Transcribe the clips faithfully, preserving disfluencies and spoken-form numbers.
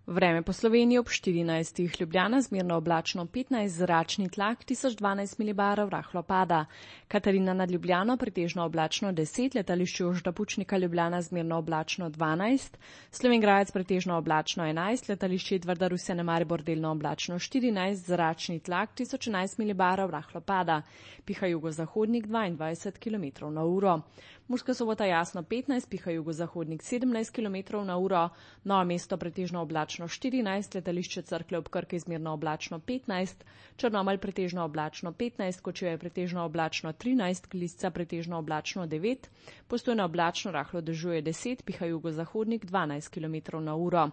Vreme po Sloveniji ob štirinajstih, Ljubljana zmerno oblačno petnajst, zračni tlak tisoč dvanajst milibarov, rahlo pada. Katarina nad Ljubljano pretežno oblačno deset, letališče Jožeta Pučnika Ljubljana zmerno oblačno dvanajst, Slovenj Gradec pretežno oblačno enajst, letališče Edvarda Rusjana Maribor delno oblačno štirinajst, zračni tlak tisoč enajst milibarov, rahlo pada. Piha jugozahodnik dvaindvajset kilometrov na uro. Murska Sobota jasno petnajst, piha jugozahodnik sedemnajst kilometrov na uro, Novo mesto pretežno oblačno štirinajst, letališče Cerklje ob Krki zmerno oblačno petnajst, Črnomelj pretežno oblačno petnajst, Kočevje pretežno oblačno trinajst, Glizca pretežno oblačno devet, Postojna oblačno rahlo dežuje deset, piha jugozahodnik dvanajst kilometrov na uro.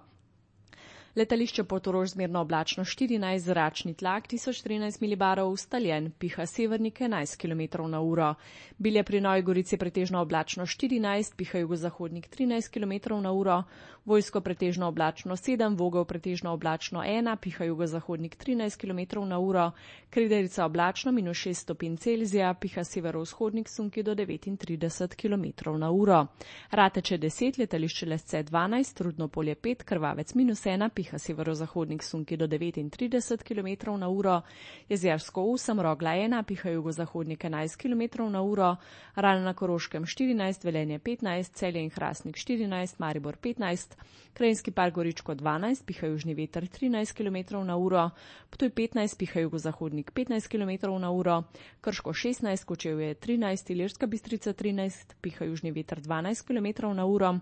Letališče Portorož zmerno oblačno štirinajst, zračni tlak tisoč trinajst milibarov, ustaljen, piha severnik enajst kilometrov na uro. Bilje pri Novi Gorici pretežno oblačno štirinajst, piha jugozahodnik trinajst kilometrov na uro, Vojsko pretežno oblačno sedem, Vogel pretežno oblačno ena, piha jugozahodnik trinajst kilometrov na uro, Krederica oblačno minus šest stopinj Celzija, piha severovzhodnik sunki do devetintrideset kilometrov na uro. Rateče deset, letališče Lesce dvanajst, Rudno polje pet, Krvavec minus ena, piha severozahodnik sunki do devetintrideset kilometrov na uro, Jezersko osem, Rogla ena, piha jugozahodnik enajst kilometrov na uro, Ravne na Koroškem štirinajst, Velenje petnajst, Celje in Hrastnik štirinajst, Maribor petnajst, Krajinski park Goričko dvanajst, piha južni veter trinajst kilometrov na uro, Ptuj petnajst, piha jugozahodnik petnajst kilometrov na uro, Krško šestnajst, Kočevje trinajst, Ilirska Bistrica trinajst, piha južni veter dvanajst kilometrov na uro,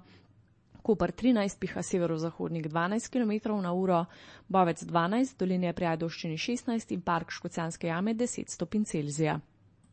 Koper trinajst, piha severozahodnik dvanajst kilometrov na uro, Bovec dvanajst, Dolenje pri Ajdovščini šestnajst in park Škocjanske jame deset stopinj Celzija.